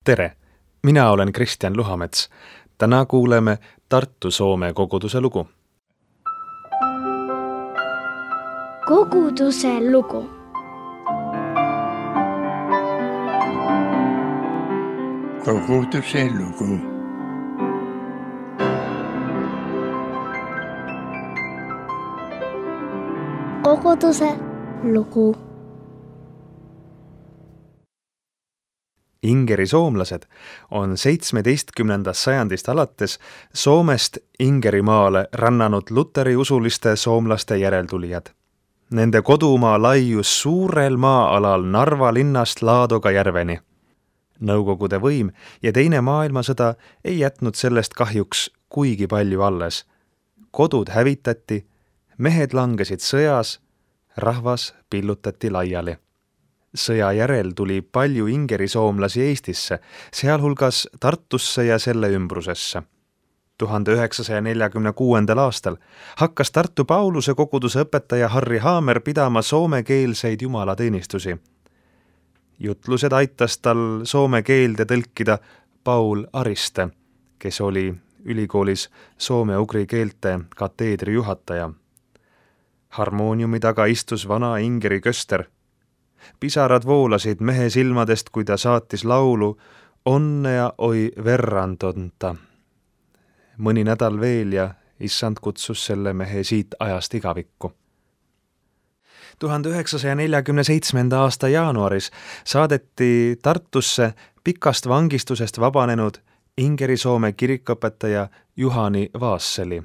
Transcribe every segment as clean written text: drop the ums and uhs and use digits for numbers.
Tere! Mina olen Kristjan Luhamets. Täna kuuleme Tartu Soome koguduse lugu. Koguduse lugu. Koguduse lugu. Koguduse lugu. Ingeri soomlased on 17. sajandist alates Soomest Ingerimaale rännanud luteriusuliste soomlaste järeltulijad. Nende kodumaa laius suurel maa-alal Narva linnast Laadoga järveni. Nõukogude võim ja Teine maailmasõda ei jätnud sellest kahjuks kuigi palju alles. Kodud hävitati, mehed langesid sõjas, rahvas pillutati laiali. Sõja järel tuli palju ingeri soomlasi Eestisse, sealhulgas Tartusse ja selle ümbrusesse. 1946. aastal hakkas Tartu Pauluse koguduse õpetaja Harri Haamer pidama soomekeelseid jumalateenistusi. Jutlused aitas tal soome keelde tõlkida Paul Ariste, kes oli ülikoolis soome-ugri keelte kateedri juhataja. Harmooniumi taga istus vana ingeri köster. Pisarad voolasid mehe silmadest, kui ta saatis laulu Onnea oi verrandonta. Mõni nädal veel ja issand kutsus selle mehe siit ajast igavikku. 1947. aasta jaanuaris saadeti Tartusse pikast vangistusest vabanenud Ingeri-Soome kirikõpetaja Juhani Vaasseli.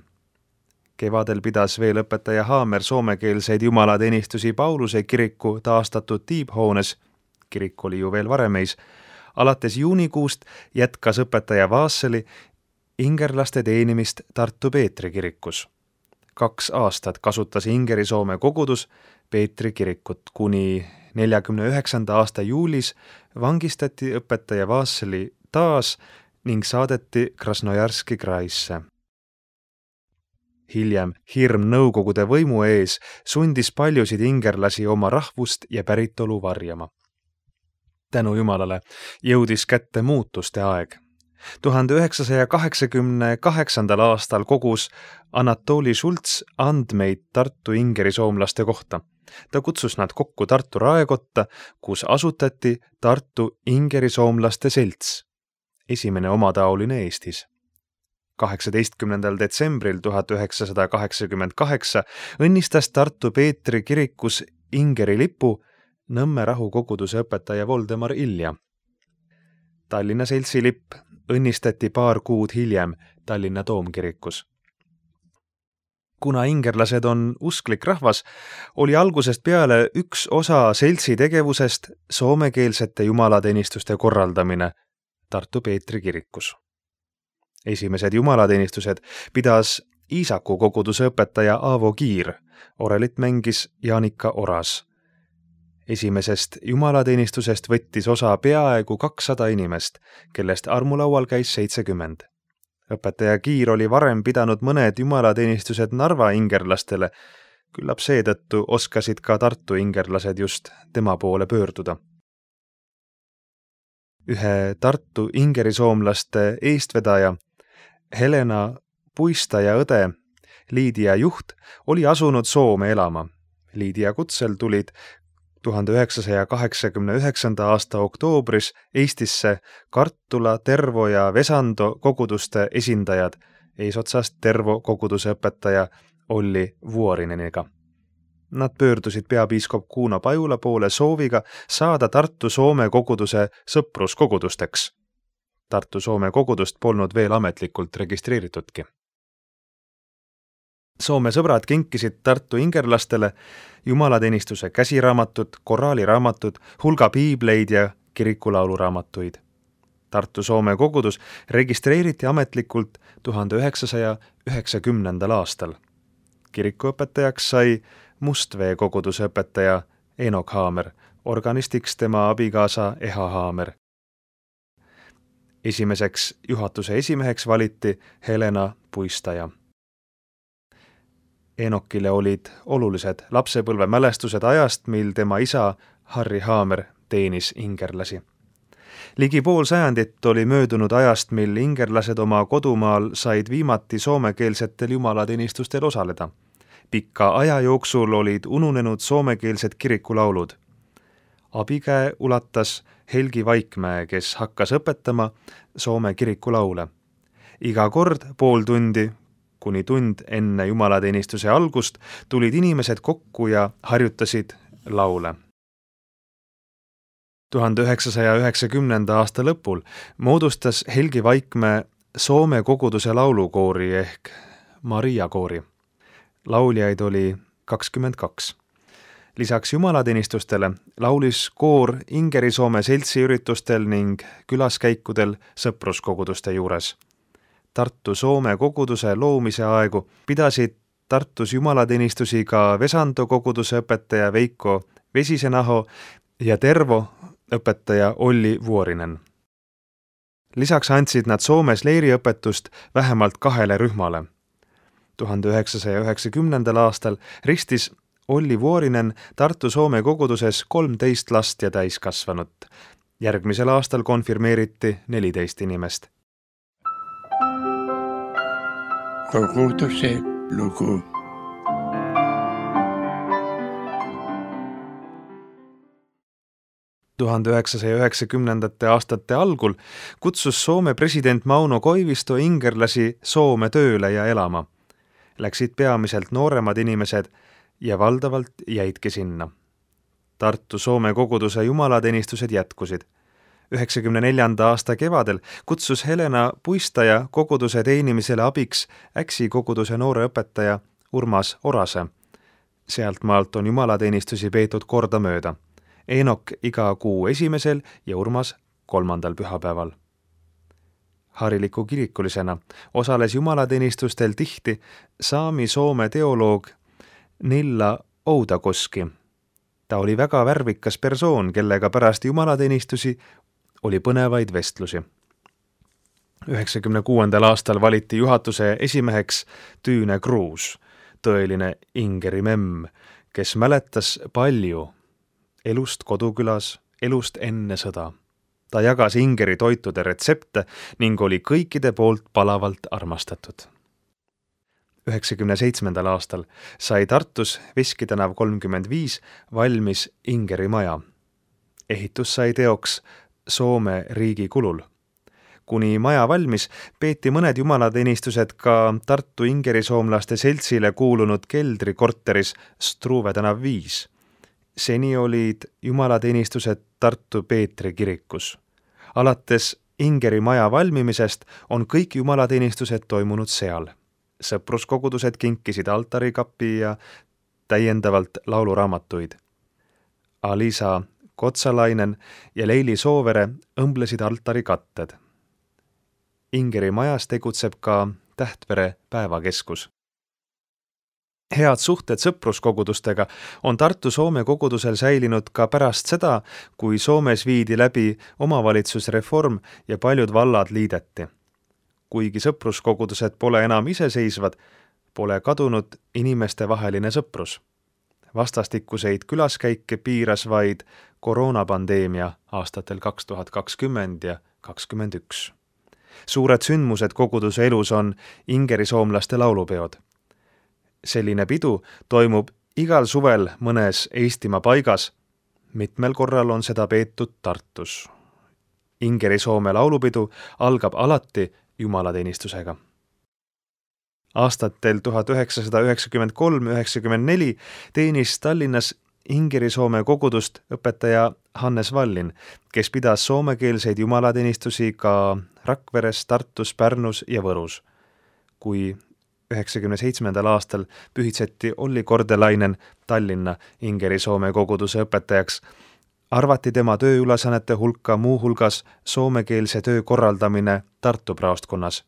Kevadel pidas veel õpetaja Haamer soomekeelseid jumalateenistusi Pauluse kiriku taastatud tiibhoones, kirik oli ju veel varemeis. Alates juunikuust jätkas õpetaja Vaasseli ingerlaste teenimist Tartu Peetri kirikus. 2 aastat kasutas Ingeri-Soome kogudus Peetri kirikut, kuni 49. aasta juulis vangistati õpetaja Vaasseli taas ning saadeti Krasnojarski kraisse. Hiljem hirm nõukogude võimu ees sundis paljusid ingerlasi oma rahvust ja päritolu varjama. Tänu Jumalale jõudis kätte muutuste aeg. 1988. aastal kogus Anatoli Schultz andmeid Tartu ingeri soomlaste kohta. Ta kutsus nad kokku Tartu raekotta, kus asutati Tartu ingeri soomlaste selts, esimene omataoline Eestis. 18. detsembril 1988 õnnistas Tartu Peetri kirikus Ingeri lipu Nõmme rahukoguduse õpetaja Voldemar Ilja. Tallinna seltsi lipp õnnistati paar kuud hiljem Tallinna toomkirikus. Kuna ingerlased on usklik rahvas, oli algusest peale üks osa seltsi tegevusest soomekeelsete jumalateenistuste korraldamine Tartu Peetri kirikus. Esimesed jumalateenistused pidas Iisaku koguduse õpetaja Aavo Kiir, orelit mängis Jaanika Oras. Esimesest jumalateenistusest võttis osa peaaegu 200 inimest, kellest armulaual käis 70. Õpetaja Kiir oli varem pidanud mõned jumalateenistused Narva ingerlastele, küllap seetõttu oskasid ka Tartu ingerlased just tema poole pöörduda. Ühe Tartu ingerisoomlaste eestvedaja Helena Puistaja õde, Liidia Juht, oli asunud Soome elama. Liidia kutsel tulid 1989. aasta oktoobris Eestisse Kartula, Tervo ja Vesando koguduste esindajad eesotsast Tervo koguduse õpetaja Olli Vuorineniga. Nad pöördusid peapiiskop Kuno Pajula poole sooviga saada Tartu Soome koguduse sõpruskogudusteks. Tartu Soome kogudust polnud veel ametlikult registreeritudki. Soome sõbrad kinkisid Tartu ingerlastele jumalateenistuse käsiraamatud, koraaliraamatud, hulga piibleid ja kirikulauluraamatuid. Tartu Soome kogudus registreeriti ametlikult 1990. aastal. Kirikuõpetajaks sai Mustvee koguduse õpetaja Enok Haamer, organistiks tema abikaasa Eha Haamer. Esimeseks juhatuse esimeheks valiti Helena Puistaja. Enokile olid olulised lapsepõlve mälestused ajast, mil tema isa Harri Haamer teenis ingerlasi. Ligi pool sajandit oli möödunud ajast, mil ingerlased oma kodumaal said viimati soomekeelsetel jumalateenistustel osaleda. Pikka aja jooksul olid ununenud soomekeelsed kirikulaulud. Abikäe ulatas Helgi Vaikmäe, kes hakkas õpetama soome kirikulaule. Iga kord pool tundi kuni tund enne jumalateenistuse algust tulid inimesed kokku ja harjutasid laule. 1990. aasta lõpul moodustas Helgi Vaikmäe Soome koguduse laulukoori ehk Maria koori. Lauljaid oli 22. Lisaks jumalateenistustele laulis koor Ingeri-Soome seltsiüritustel ning külaskäikudel sõpruskoguduste juures. Tartu Soome koguduse loomise aegu pidasid Tartus jumalateenistusi ka Vesando koguduse õpetaja Veiko Vesisenaho ja Tervo õpetaja Olli Vuorinen. Lisaks andsid nad Soomes leiriõpetust vähemalt 2 rühmale. 1990. aastal ristis Olli Vuorinen Tartu Soome koguduses 13 last ja täiskasvanut. Järgmisel aastal konfirmeeriti 14 inimest. Koguduse lugu. aastate algul kutsus Soome president Mauno Koivisto ingerlasi Soome tööle ja elama. Läksid peamiselt nooremad inimesed ja valdavalt jäidki sinna. Tartu Soome koguduse jumalateenistused jätkusid. 1994. aasta kevadel kutsus Helena Puistaja koguduse teenimisele abiks Äksi koguduse noore õpetaja Urmas Orase. Sealtmaalt on jumalateenistusi peetud kordamööda. Eenok iga kuu 1. ja Urmas 3. pühapäeval. Hariliku kirikulisena osales jumalateenistustel tihti saami-soome teoloog Nilla Oudakoski. Ta oli väga värvikas persoon, kellega pärast jumalateenistusi oli põnevaid vestlusi. 1996. aastal valiti juhatuse esimeheks Tüüne Kruus, tõeline Ingeri memm, kes mäletas palju elust kodukülas, elust enne sõda. Ta jagas Ingeri toitude retsepte ning oli kõikide poolt palavalt armastatud. 1997. aastal sai Tartus Veski tänav 35 valmis Ingeri maja. Ehitus sai teoks Soome riigi kulul. Kuni maja valmis, peeti mõned jumalateenistused ka Tartu ingerisoomlaste seltsile kuulunud keldrikorteris Struve tänav 5. Seni olid jumalateenistused Tartu Peetri kirikus. Alates Ingeri maja valmimisest on kõik jumalateenistused toimunud seal. Sõpruskogudused kinkisid altarikapi ja täiendavalt lauluraamatuid. Alisa Kotsalainen ja Leili Soovere õmblesid altarikatted. Ingeri majas tegutseb ka Tähtvere päevakeskus. Head suhted sõpruskogudustega on Tartu Soome kogudusel säilinud ka pärast seda, kui Soomes viidi läbi omavalitsusreform ja paljud vallad liideti. Kuigi sõpruskogudused pole enam iseseisvad, pole kadunud inimestevaheline sõprus. Vastastikuseid külaskäike piiras vaid koroonapandeemia aastatel 2020 ja 2021. Suured sündmused koguduse elus on ingerisoomlaste laulupeod. Selline pidu toimub igal suvel mõnes Eestimaa paigas. Mitmel korral on seda peetud Tartus. Ingeri-Soome laulupidu algab alati jumalateenistusega. Aastatel 1993-1994 teenis Tallinnas Ingeri-Soome kogudust õpetaja Hannes Vallin, kes pidas soomekeelseid jumalateenistusi ka Rakveres, Tartus, Pärnus ja Võrus. Kui 1997. aastal pühitseti Olli Kordelainen Tallinna Ingeri-Soome koguduse õpetajaks, arvati tema tööülesannete hulka muu hulgas soomekeelse töö korraldamine Tartu praostkonnas.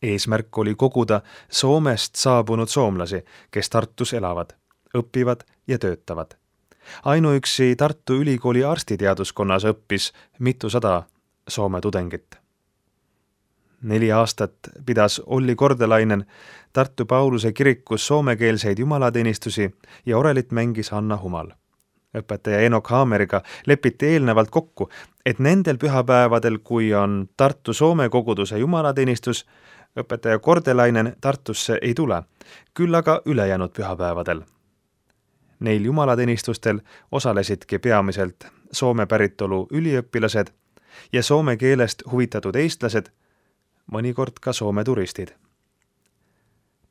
Eesmärk oli koguda Soomest saabunud soomlasi, kes Tartus elavad, õpivad ja töötavad. Ainuüksi Tartu Ülikooli arstiteaduskonnas õppis mitusada Soome tudengit. 4 aastat pidas Olli Kordelainen Tartu Pauluse kirikus soomekeelseid jumalateenistusi ja orelit mängis Anna Humal. õpetaja Enok Haameriga lepiti eelnevalt kokku, et nendel pühapäevadel, kui on Tartu Soome koguduse jumalateenistus, õpetaja Kordelainen Tartusse ei tule, küll aga ülejäänud pühapäevadel. Neil jumalateenistustel osalesidki peamiselt Soome päritolu üliõpilased ja soome keelest huvitatud eestlased, mõnikord ka Soome turistid.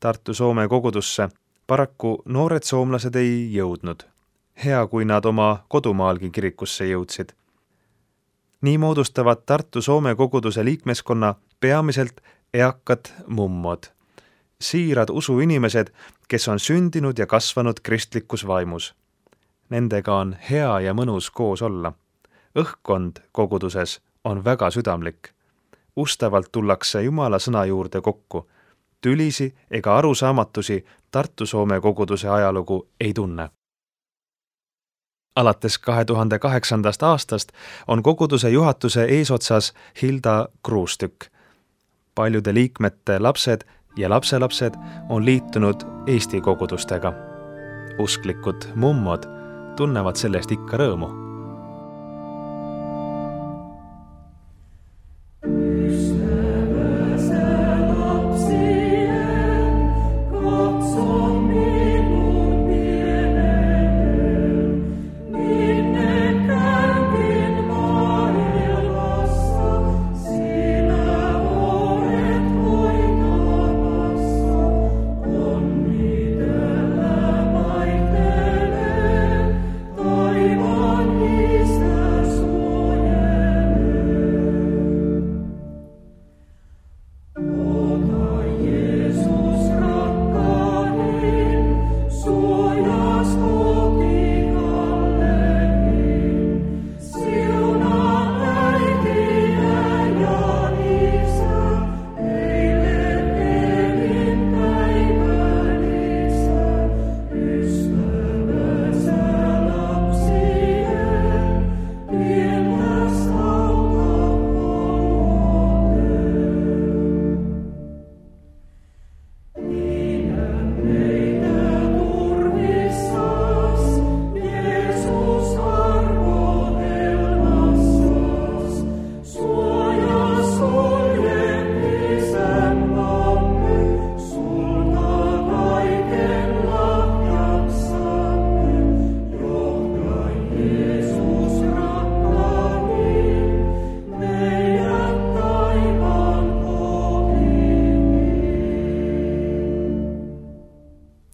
Tartu Soome kogudusse paraku noored soomlased ei jõudnud. Hea, kui nad oma kodumaalgi kirikusse jõudsid. Nii moodustavad Tartu Soome koguduse liikmeskonna peamiselt eakad mummod, siirad usuinimesed, kes on sündinud ja kasvanud kristlikus vaimus. Nendega on hea ja mõnus koos olla. Õhkkond koguduses on väga südamlik. Ustavalt tullakse Jumala sõna juurde kokku. Tülisi ega arusaamatusi Tartu Soome koguduse ajalugu ei tunne. Alates 2008. aastast on koguduse juhatuse eesotsas Hilda Kruustükk. Paljude liikmete lapsed ja lapselapsed on liitunud Eesti kogudustega. Usklikud mummod tunnevad sellest ikka rõõmu.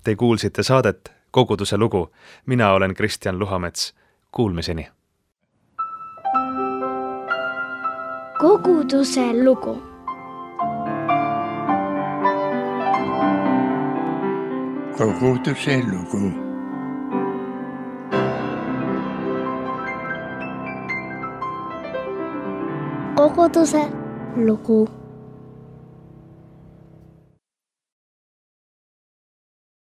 Te kuulsite saadet Koguduse lugu. Mina olen Kristjan Luhamets. Kuulmiseni. Koguduse lugu. Koguduse lugu. Koguduse lugu.